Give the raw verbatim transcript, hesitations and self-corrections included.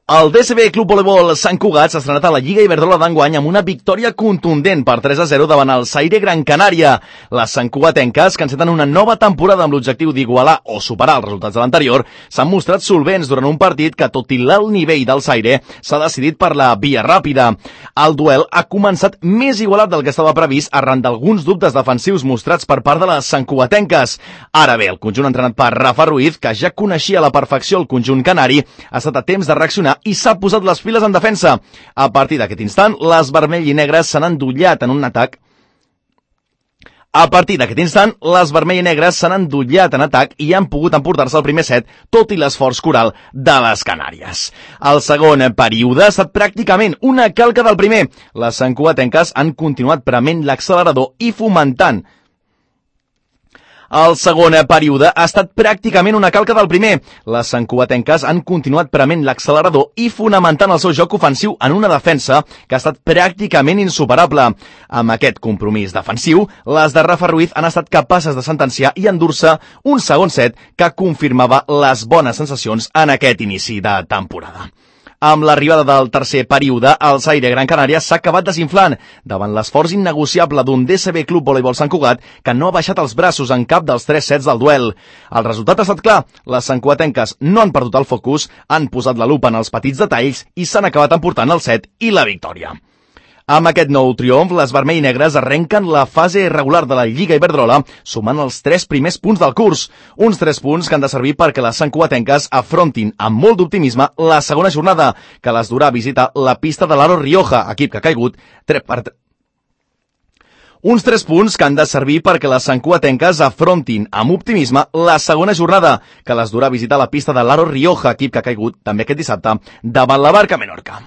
El D C B Club Voleibol Sant Cugat s'ha estrenat a la Lliga Iberdrola d'enguany amb una victòria contundent per tres a zero davant el Zaire Gran Canària. Les santcugatenques, que enceten una nova temporada amb l'objectiu d'igualar o superar els resultats de l'anterior, s'han mostrat solvents durant un partit que, tot i l'alt nivell del Zaire, s'ha decidit per la via ràpida. El duel ha començat més igualat del que estava previst arran d'alguns dubtes defensius mostrats per part de les santcugatenques. Ara bé, el conjunt entrenat per Rafa Ruiz, que ja coneixia a la perfecció el conjunt canari, ha estat a temps de reaccionar i s'ha posat les piles en defensa. A partir d'aquest instant, les vermell i negres s'han endollat en un atac A partir d'aquest instant, les vermell i negres s'han endollat en atac i han pogut emportar-se el primer set, tot i l'esforç coral de les Canàries. El segon període ha estat pràcticament una calca del primer. Les santcugatenques han continuat prement l'accelerador i fomentant El segon període ha estat pràcticament una calca del primer. Les santcugatenques han continuat prement l'accelerador i fonamentant el seu joc ofensiu en una defensa que ha estat pràcticament insuperable. Amb aquest compromís defensiu, les de Rafa Ruiz han estat capaces de sentenciar i endur-se un segon set que confirmava les bones sensacions en aquest inici de temporada. Amb l'arribada del tercer període, el Zaire Gran Canària s'ha acabat desinflant davant l'esforç innegociable d'un D C B Club Voleibol Sant Cugat que no ha baixat els braços en cap dels tres sets del duel. El resultat ha estat clar. Les santcugatenques no han perdut el focus, han posat la lupa en els petits detalls i s'han acabat emportant el set i la victòria. Amb aquest nou triomf, les vermell i negres arrenquen la fase regular de la Lliga Iberdrola, sumant els tres primers punts del curs. Uns tres punts que han de servir perquè les santcugatenques afrontin amb molt d'optimisme la segona jornada, que les durà a visitar la pista de l'Aro Rioja, equip que ha caigut tres per tres. Uns tres punts que han de servir perquè les santcugatenques afrontin amb optimisme la segona jornada, que les durà a visitar la pista de l'Aro Rioja, equip que ha caigut també aquest dissabte davant la Barca Menorca.